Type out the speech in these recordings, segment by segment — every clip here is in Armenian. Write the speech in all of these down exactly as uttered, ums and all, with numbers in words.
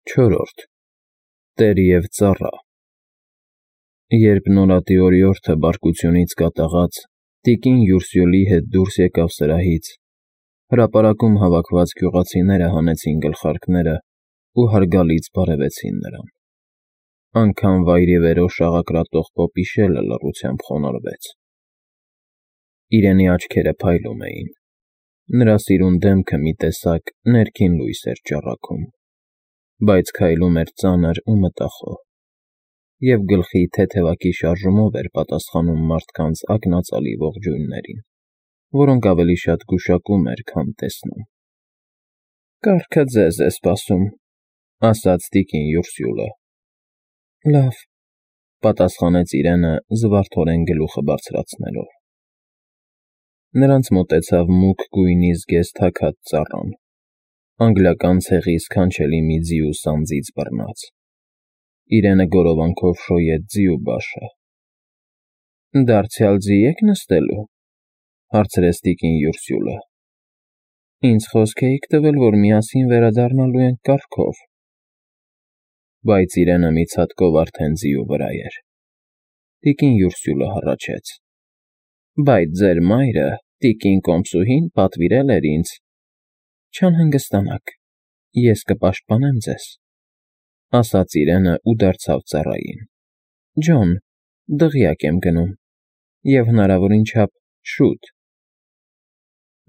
Չորրորդ Տեր և ծառա Երբ նորատի օրիորդը բարկությունից կատաղած տիկին Յուրսյուլի հետ դուրս եկավ սրահից, հրապարակում հավաքված գյուղացիները հանեցին գլխարկները ու հարգալից բարևեցին նրան. անգամ վայրիվերով շաղակրատող պոպիշելը լռությամբ խոնարհվեց. իրենի աչքերը փայլում էին, նրա սիրուն դեմքը մի տեսակ ներքին լույս էր ճառագում, բայց քայլում էր ծանր ու մտախոհ, և գլխի թեթևակի շարժումով էր պատասխանում մարդկանց ակնածալի ողջույններին, որոնք ավելի շատ գուշակում էր, քան տեսնում։ Կառքը ձեզ է սպասում, ասաց տիկին Յուրսյուլը։ Լավ, պատասխանեց իրենը զվարթորեն գլուխը բարձրացնելով։ Նրանց մոտեցավ մուգ գույնի զգեստ հագած ծառան, անգլիական ցեղի սքանչելի մի ձիու սանձից բռնած։ Իրենը գորովանքով շոյեց ձիու բաշը։ Դարձյալ ձի եք նստելու, հարցրեց տիկին Յուրսյուլը։ Ինձ խոսք էիք տվել, որ միասին վերադառնալու ենք կառքով։ Բայց իրենը մի ցատկով արդեն ձիու վրա էր։ Տիկին Յուրսյուլը հառաչեց. Բայց ձեր մայրը, տիկին Կոմսուհին, պատվիրել էր ինձ։ Չանհանգստանաք, ես կպաշտպանեմ ձեզ, ասաց իրենը ու դարձավ ծառային։ Ջոն, դղյակ եմ գնում, և հնարավորին չափ շուտ։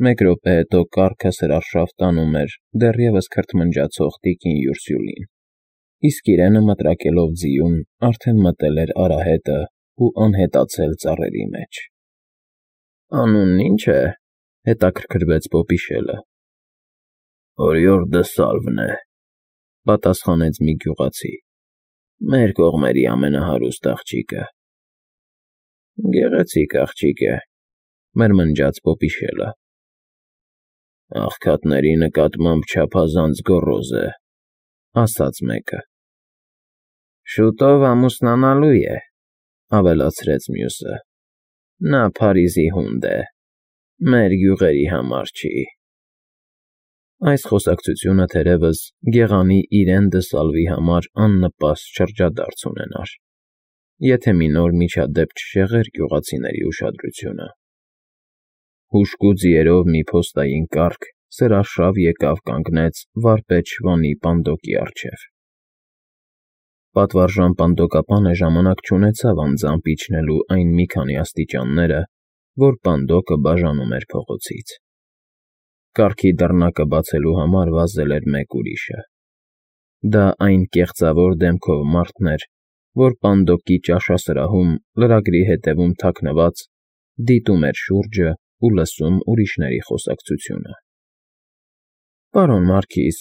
Մեկ րոպե հետո կառքը սրարշավ տանում էր դեռևս քրթմնջացող տիկին Յուրսյուլին, իսկ իրենը մտրակելով ձիուն արդեն մտել էր արահետը ու անհետացել ծառերի մեջ։ Անունն ի՞նչ է, հետաքրքրվեց պոպիշելը։ Օրիորդը Սալվն է, պատասխանեց մի գյուղացի, մեր կողմերի ամենահարուստ աղջիկը։ Գեղեցիկ աղջիկ է, մրմնջաց պոպիշելը։ Աղքատների նկատմամբ չափազանց գոռոզ է, ասաց մեկը։ Շուտով ամուսնանալու է, ավելացրեց մյուսը։ Նա Փարիզի հունդ է, մեր գյուղերի համար չի։ Այս խոսակցությունը թերևս գեղանի Իրեն դը Սալվի համար աննպաստ շրջադարձ ունենար, եթե մի նոր միջադեպ չշեղեր գյուղացիների ուշադրությունը։ Հուժկու ձիերով մի փոստային կառք սրարշավ եկավ կանգնեց վարպետ Շվանի պանդոկի առջև։ Պատվարժան պանդոկապանը ժամանակ չունեցավ անձամբ իջնելու այն մի քանի աստիճանները, որ պանդոկը բաժանում էր փողոցից։ Կառքի դռնակը բացելու համար վազել էր մեկ ուրիշը։ Դա այն կեղծավոր դեմքով մարդն էր, որ պանդոկի ճաշասրահում լրագրի հետևում թաքնված դիտում էր շուրջը ու լսում ուրիշների խոսակցությունը։ Պարոն Մարքիզ,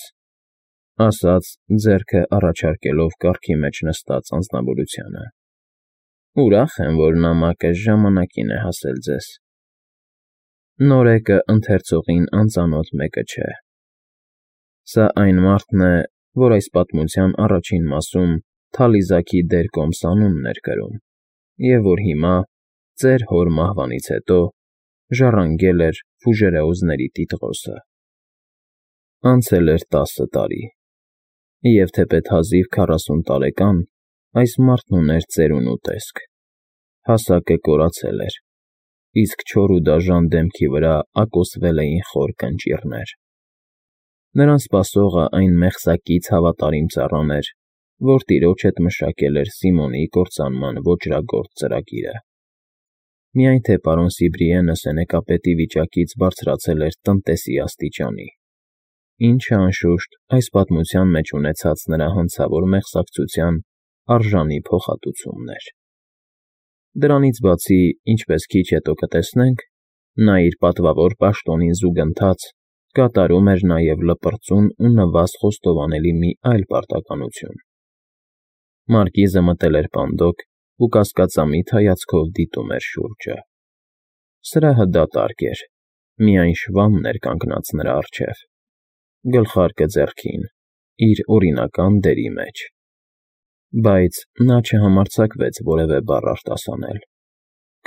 ասաց ձեռքը առաջարկելով կառքի մեջ նստած անձնավորությանը, ուրախ եմ, որ նամակը ժամանակին է հասել ձեզ։ Նորեկը ընթերցողին անծանոթ մեկը չէ։ Սա այն մարդն է, որ այս պատմության առաջին մասում Թալիզաքի դեր Կոմսանունն էր կրում, և որ հիմա, ծեր հոր մահվանից հետո, ժառանգել էր Ֆուժերեուզների տիտղոսը։ Անցել էր տասը տարի, և թեպետ հազիվ քառասուն տարեկան, այս մարդն ուներ ծերուն ու տեսք, հասակը կորացել էր, իսկ չոր ու դաժան դեմքի վրա ակոսվել էին խոր կնճիռներ։ Նրան սպասողը այն մեղսակից հավատարիմ ծառան էր, որ տիրոջ հետ մշակել էր Սիմոնի կործանման ոճրագործ ծրագիրը։ Միայն թե պարոն Սիբրիենը սենեկապետի վիճակից բարձրացել էր տնտեսի աստիճանի, ինչը, անշուշտ, այս պատմության մեջ ունեցած նրա հանցավոր մեղսակցության արժանի փոխհատուցումն էր։ Դրանից բացի, ինչպես քիչ հետո կտեսնենք, նա իր պատվավոր պաշտոնին զուգընթաց կատարում էր նաև լպրծուն ու նվազ խոստովանելի մի այլ պարտականություն։ Մարկիզը մտել էր պանդոկ ու կասկածամիտ հայացքով դիտում էր շուրջը։ Սրահը դատարկ էր, միայն Շվանն էր կանգնած նրա առջև, գլխարկը ձեռքին, իր օրինական դերի մեջ։ Բայց նա չհամարձակվեց որևէ բառ արտասանել,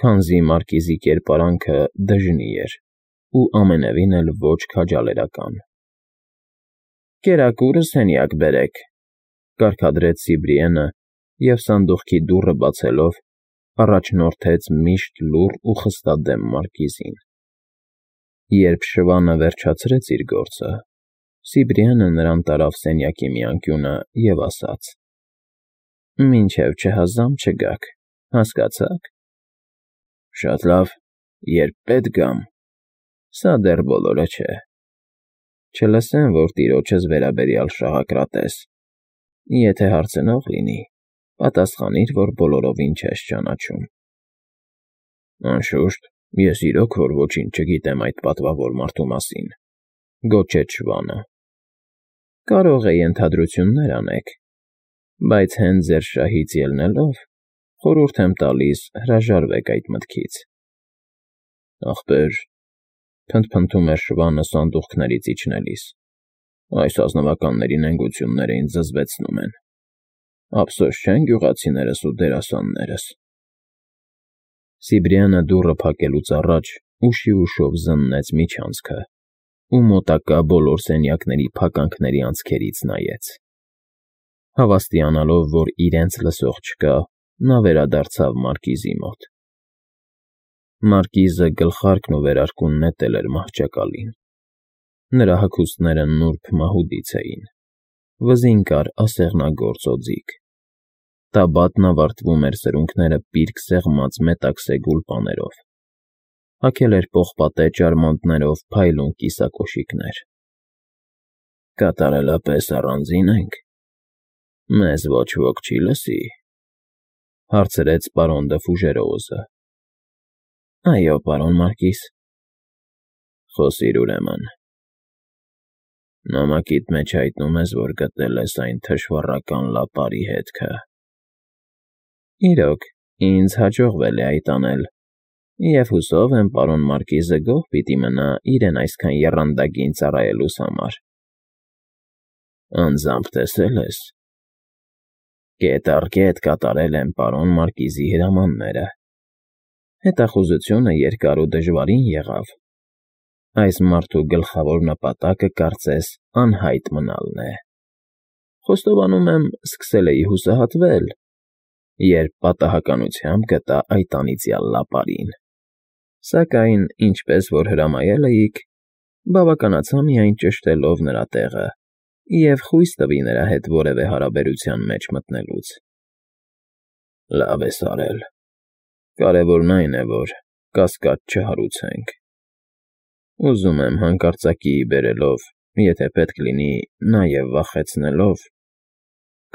քանզի մարկիզի կերպարանքը դժնի էր ու ամենևին էլ ոչ քաջալերական։ Կերակուրը սենյակ բերեք, կարգադրեց Սիբրիենը և սանդուղքի դուռը բացելով առաջնորդեց միշտ լուռ ու խստադեմ մարկիզին։ Երբ շվանը վերջացրեց իր գործը, Սիբրիենը նրան տարավ սենյակի մի անկյունը և ասաց. «Մինչև չհազամ չգաք, հասկացա՞ք»։ «Շատ լավ, երբ պետք գամ»։ «Սա դեռ բոլորը չէ։ Չլսեմ, որ տիրոջս վերաբերյալ շաղակրատես։ Եթե հարցնող լինի, պատասխանիր, որ բոլորովին չես ճանաչում»։ «Անշուշտ, ես իրոք որ ոչինչ չգիտեմ այդ պատվավոր մարդու մասին», գոչեց շվանը։ «Կարող է ենթադրություններ անեք, բայց հենց ձեր շահից ելնելով, խորհուրդ եմ տալիս հրաժարվեք այդ մտքից»։ «Ախպեր,֊ փնթփնթում էր շվանը սանդուղքներից իջնելիս,֊ այս ազնվականների նենգությունները ինձ զզվեցնում են։ Ափսոս չեն գյուղացիներս ու դերասաններս»։ Սիբրյանը դուռը փակելուց առաջ ուշիուշով զննեց միջանցքը ու մոտակա բոլոր սենյակների փականքների անցքերից նայեց։ Հավաստիանալով, որ իրենց լսող չկա, նա վերադարձավ մարկիզի մոտ։ Մարկիզը գլխարկն ու վերարկուն նետել էր մահճակալին։ Նրա հագուստները նուրբ մահուդից էին, վզին կար ասեղնագործ օձիք։ Տաբատն ավարտվում էր սրունքները պիրկ սեղմած մետաքսե գուլպաներով, հագել էր պողպատե ճարմանտներով փայլուն կիսակոշիկներ։ «Կատարելապես առանձի՞ն ենք, մեզ ոչ ոք չի լսի», հարցրեց պարոն Դը Ֆուժերոուզը։ «Այո, պարոն Մարկիզ»։ «Խոսիր ուրեմն։ Նամակիդ մեջ հայտնում ես, որ գտել ես այն թշվառական լապարի հետքը»։ «Իրոք, ինձ հաջողվել է այդ անել, և հուսով եմ պարոն Մարկիզը գոհ պիտի մնա իրեն այսքան եռանդագին ծառայելուս համար»։ «Անձամբ տեսե՞լ ես»։ «Կետ առ կետ կատարել եմ պարոն Մարկիզի հրամանները»։ «Հետախուզությունը երկար ու դժվարին եղավ։ Այս մարդու գլխավոր նպատակը, կարծես, անհայտ մնալն է։ Խոստովանում եմ, սկսել էի հուսահատվել, երբ պատահականությամբ գտա այդ անիծյալ լապարին։ Սակայն, ինչպես որ հրամայել էիք, բավականացա միայն ճշտելով նրա տեղը և խույս տվի նրա հետ որևէ հարաբերության մեջ մտնելուց»։ «Լավ ես արել։ Կարևորն այն է, որ կասկած չհարուցենք։ Ուզում եմ հանկարծակիի բերելով, եթե պետք լինի, նաև վախեցնելով,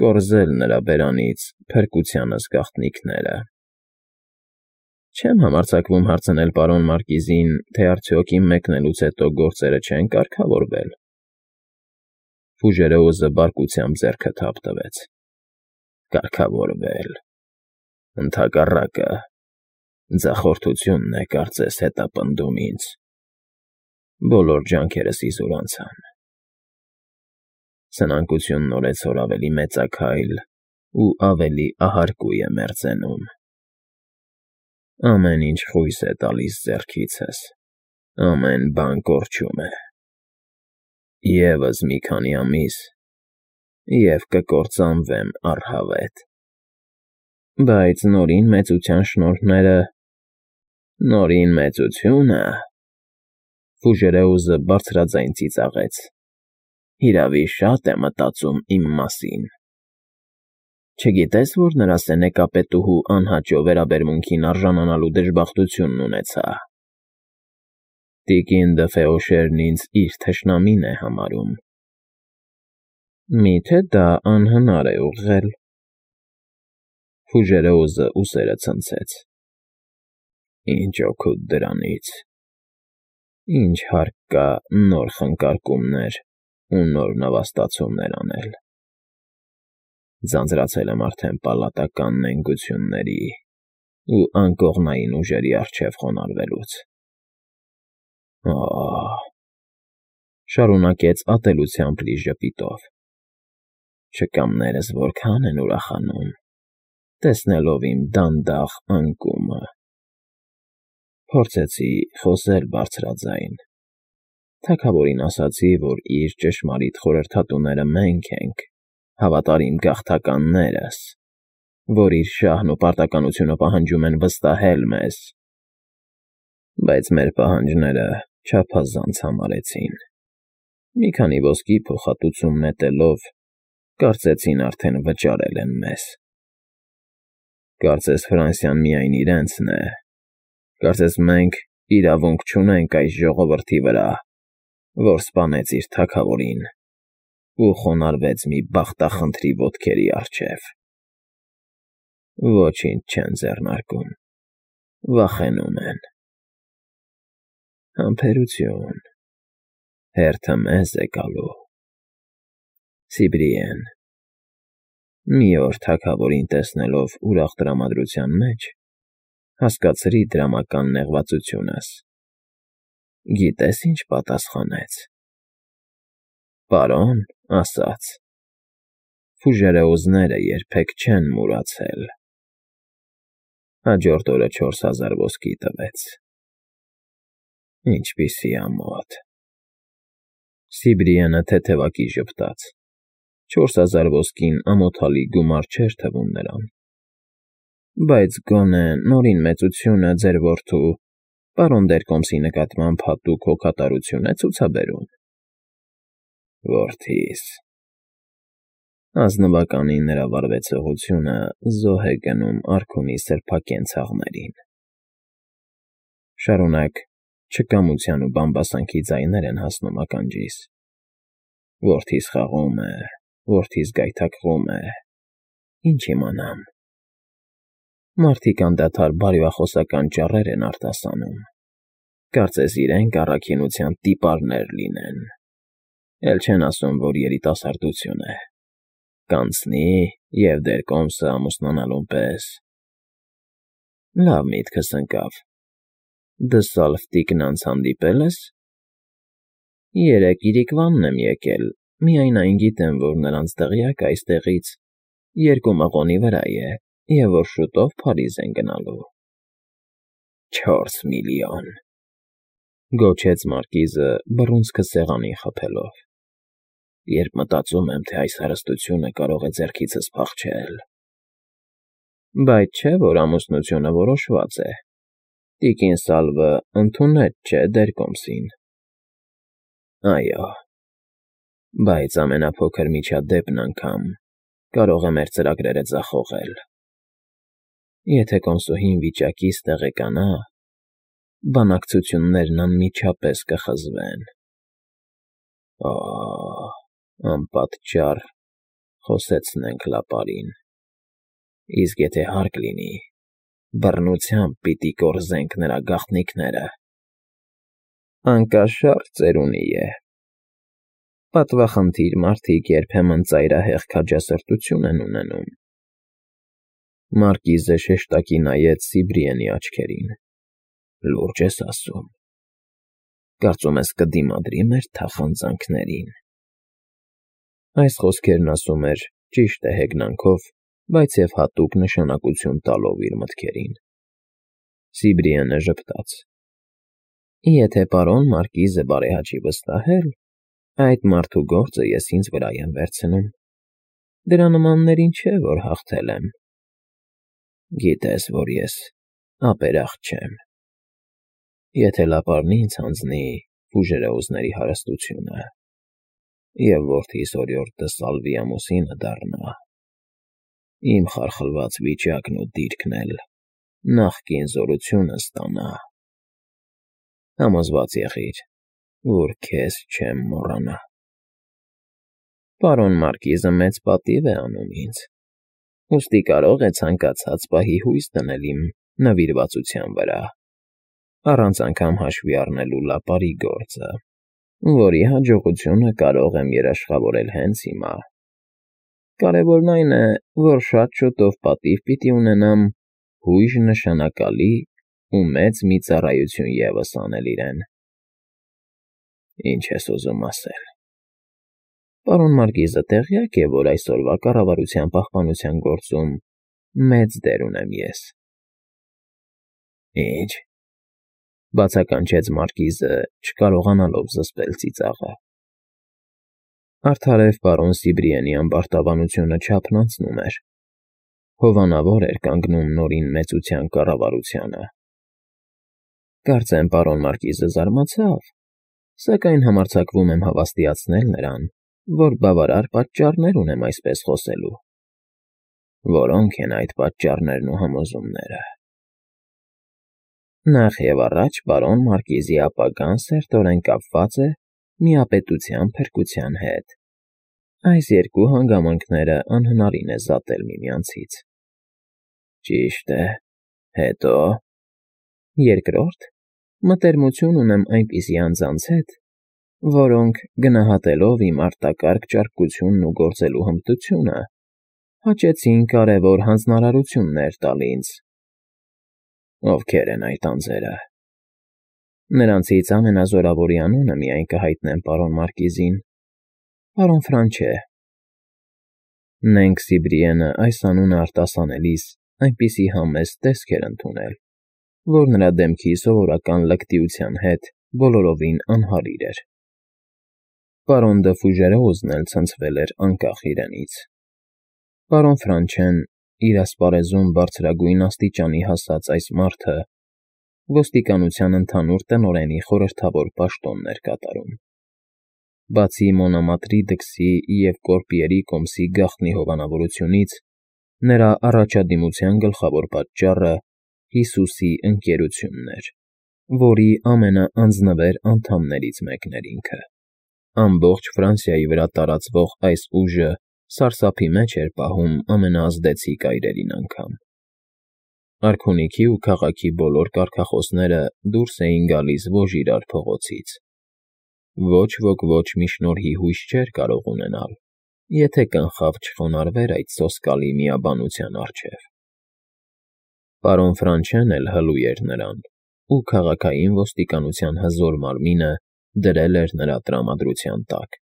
կորզել նրա բերանից փրկությանս գաղտնիքները»։ «Չեմ համարձակվում հարցնել պարոն Մարկիզին, թե արդյոք իմ մեկնելուց հետո գործերը չեն կարգավորվել»։ Ֆուժերոուզը բարկությամբ ձեռքը թափ տվեց։ «Կարգավորվել… Ընդհակառակը, ձախորդությունն է, կարծես, հետապնդում ինձ։ Բոլոր ջանքերս իզուր անցան։ Սնանկությունն օրեցօր ավելի մեծաքայլ ու ավելի ահարկու է մերձենում։ Ամեն ինչ խույս է տալիս ձեռքիցս, ամեն բան կորչում է։ Եվս մի քանի ամիս, և կկործանվեմ առհավետ։ Բայց Նորին Մեծության շնորհները… Նորին Մեծությունը…» Ֆուժերոուզը բարձրաձայն ծիծաղեց։ «Հիրավի, շատ է մտածում իմ մասին։ Չգիտես, որ նրա սենեկապետուհու անհաճո վերաբերմունքին արժանանալու դժբախտությունն ունեցա։ Տիկին Դը Ֆեոշերն ինձ իր թշնամին է համարում»։ «Մի՞թե դա անհնար է ուղղել»։ Ֆուժերոուզը ուսերը ցնցեց։ «Ինչ օգուտ դրանից։ Ինչ հարկ կա նոր խնկարկումներ ու նոր նվաստացումներ անել։ Ձանձրացել եմ արդեն պալատական նենգությունների ու անկողնային ուժերի առջև խոնարհվելուց։ Օ՜օ…» շարունակեց ատելությամբ լի ժպիտով։ «Շքամներս որքան են ուրախանում, տեսնելով իմ դանդաղ անկումը»։ Փորձեցի խոսել բարձրաձայն։ Թագավորին ասացի, որ իր ճշմարիտ խորհրդատուները մենք ենք, հավատարիմ գաղթականներս, որ իր շահն ու պարտականությունը պահանջում են վստահել մեզ, բայց մեր պահանջները չափազանց համարեցին։ Մի քանի ոսկի փոխհատուցում նետելով, կարծեցին արդեն վճարել են մեզ։ Կարծես Ֆրանսիան միայն իրենցն է, կարծես մենք իրավունք չունենք այս ժողովրդի վրա, որ սպանեց իր թագավորին ու խոնարհվեց մի բախտախնդրի ոտքերի առջև։ Ոչինչ չեն ձեռնարկում, վախենում են։ Համբերություն, հերթը մեզ է գալու։ Սիբրիեն, մի օր թագավորին տեսնելով ուրախ տրամադրության մեջ, հասկացրի դրամական նեղվածությունս։ Գիտես ինչ պատասխանեց։ Պարոն, ասաց, ֆուժերեուզները երբեք չեն մուրացել։ Հաջորդ օրը չորս հազար ոսկի տվեց։ Ինչպիսի ամոթ։ Սիբրիենը թեթևակի ժպտաց։ Չորս հազար ոսկին ամոթալի գումար չէր թվում նրան։ Բայց գոնե նորին մեծությունը ձեր որդու, պարոն Դերկոմսի նկատմամբ հատուկ հոգատարություն է ցուցաբերում։ Որդիս… Ազնվականին նրա վարվեցողությունը զոհ է գնում արքունի սրբակեն ցաղներին։ Շարունակ չկամության ու բամբասանքի ձայներ են հասնում ականջիս։ Որդիս խաղում է, որդիս գայթակղում է, ինչ իմանամ։ Մարդիկ անդադար բարյախոսական ճառեր են արտասանում, կարծես իրենք առաքինության տիպարներ լինեն, էլ չեն ասում, որ երիտասարդություն է, կանցնի և Դերկոմսը ամուսնանալուն պես։ Լավ միտքս ընկավ, դսալֆ տիկնանց հանդիպել ես։ Երեկ իրիկվանն եմ եկել, միայն այն գիտեմ, որ նրանց դղյակը այստեղից երկու մղոնի վրա է, և որ շուտով Փարիզ են գնալու։ Չորս միլիոն… Գոչեց մարկիզը բռունցքը սեղանին խփելով։ Երբ մտածում եմ, թե այս հարստությունը կարող է ձեռքիցս փախչել… Բայց չէ, որ ամուսնությունը որոշված է։ Տիկին Սալվը ընդունեց, չէ՞, Դերկոմսին։ Այո, բայց ամենափոքր միջադեպն անգամ կարող է մեր ծրագրերը ձախողել։ Եթե կոնսուհին վիճակից տեղեկանա, բանակցություններն անմիջապես կխզվեն։ Օ՜, անպատճառ խոսեցնենք լապարին։ Իսկ եթե հարկ լինի, բռնությամբ պիտի կորզենք նրա գաղտնիքները։ Անկաշառ ծերունի է։ Պատվախնդիր մարդիկ երբեմն ծայրահեղ քաջասրտություն են ունենում։ Մարկիզը շեշտակի նայեց Սիբրիենի աչքերին։ Լուրջ ես ասում։ Կարծում ես կդիմադրի մեր թախանձանքներին։ Այս խոսքերն ասում էր ճիշտ է հեգնանքով, բայց և հատուկ նշանակություն տալով իր մտքերին։ Սիբրիենը ժպտաց։ Եթե պարոն մարկիզը բարեհաճի վստահել, այդ մարդու գործը ես ինձ վրա եմ վերցնում։ Դրա նմաններին չէ, որ հաղթել եմ։ Գիտես, որ ես ապերախտ չեմ։ Եթե լապարն ինձ հանձնի ֆուժերեուզների հարստությունը, և որդիս օրիորդ դսալվի ամուսինը դառնա, իմ խարխլված վիճակն ու դիրքն էլ նախկին զորությունը ստանա։ Համոզված եղիր, որ քեզ չեմ մոռանա։ Պարոն մարկիզը մեծ պատիվ է անում ինձ, ուստի կարող է ցանկացած պահի հույս դնել իմ նվիրվածության վրա, առանց անգամ հաշվի առնելու լապարի գործը, որի հաջողությունը կարող եմ երաշխավորել հենց հիմա։ Կարևորն այն է, որ շատ շուտով պատիվ պիտի ունենամ հույժ նշանակալի ու մեծ մի ծառայություն ևս անել իրեն։ Ինչ ես ուզում ասել։ Պարոն մարկիզը տեղյակ է, որ այսօրվա կառավարության պահպանության գործում մեծ դեր ունեմ ես։ Ինչ… Բացականչեց մարկիզը, չկարողանալով զսպել ծիծաղը։ Արդարև պարոն Սիբրիենի ամբարտավանությունը չափն անցնում էր։ Հովանավոր էր կանգնում նորին մեծության կառավարությանը։ Կարծեմ պարոն մարկիզը զարմացավ, սակայն համարձակվում եմ հավաստիացնել նրան, որ բավարար պատճառներ ունեմ այսպես խոսելու։ Որոնք են այդ պատճառներն ու համոզումները։ Նախ և առաջ պարոն մարկիզի ապագան սերտորեն կապված է միապետության փրկության հետ։ Այս երկու հանգամանքները անհնարին է զատել միմյանցից։ Ճիշտ է, հետո… Երկրորդ, մտերմություն ունեմ այնպիսի անձանց հետ, որոնք, գնահատելով իմ արտակարգ ճարպկությունն ու գործելու հմտությունը, հաճեցին կարևոր հանձնարարություններ տալ ինձ։ Ովքե՞ր են այդ անձերը։ Նրանցից ամենազորավորի անունը միայն կհայտնեմ պարոն մարկիզին. պարոն Ֆրանչե։ Նենք Սիբրիենը այս անունը արտասանելիս այնպիսի համեստ տեսք էր ընդունել, որ նրա դեմքի սովորական լկտիության հետ բոլորովին անհարիր էր։ Պարոն Դը Ֆուժերոզն էլ ցնցվել էր անկախ իրենից։ Պարոն Ֆրանչեն, իր ասպարեզում բարձրագույն աստիճանի հասած այս մարդը, ոստիկանության ընդհանուր տնօրենի խորհրդավոր պաշտոնն էր կատարում։ Բացի Մոնամատրիդքսի և Կորպիերի կոմսի գաղտնի հովանավորությունից, նրա առաջադիմության գլխավոր պատճառը Հիսուսի ընկերությունն էր, որի ամենաանձնվեր անդամներից մեկն էր ինքը։ Ամբողջ Ֆրանսիայի վրա տարածվող այս ուժը սարսափի մեջ էր պահում ամենաազդեցիկ այրերին անգամ։ Արքունիքի ու քաղաքի բոլոր կարգախոսները դուրս էին գալիս ողջ իրար փողոցից։ Ոչ ոք ոչ մի շնորհի հույս չէր կարող ունենալ, եթե կնխավ չխոնարհվեր այդ սոսկալի միաբանության առջև։ Պարոն Ֆրանչեն էլ հլու էր նրան, ու քաղաքային ոստիկանության հզոր մարմինը դրել էր նրա տրամադրության տակ։